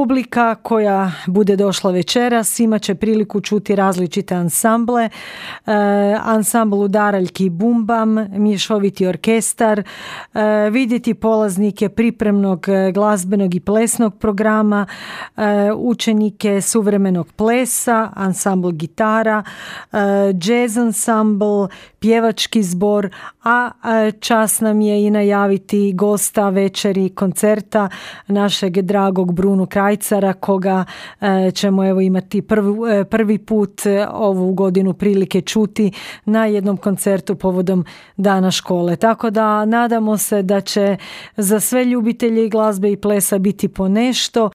Publika koja bude došla večeras imat će priliku čuti različite ansamble, ansambl udaraljki i bumbam, mješoviti orkestar, vidjeti polaznike pripremnog glazbenog i plesnog programa, učenike suvremenog plesa, ansambl gitara, jazz ansambl, pjevački zbor, a čast nam je i najaviti gosta večeri koncerta našeg dragog Brunu Krajcara, koga ćemo evo imati prvi put ovu godinu prilike čuti na jednom koncertu povodom Dana škole. Tako da nadamo se da će za sve ljubitelje glazbe i plesa biti po nešto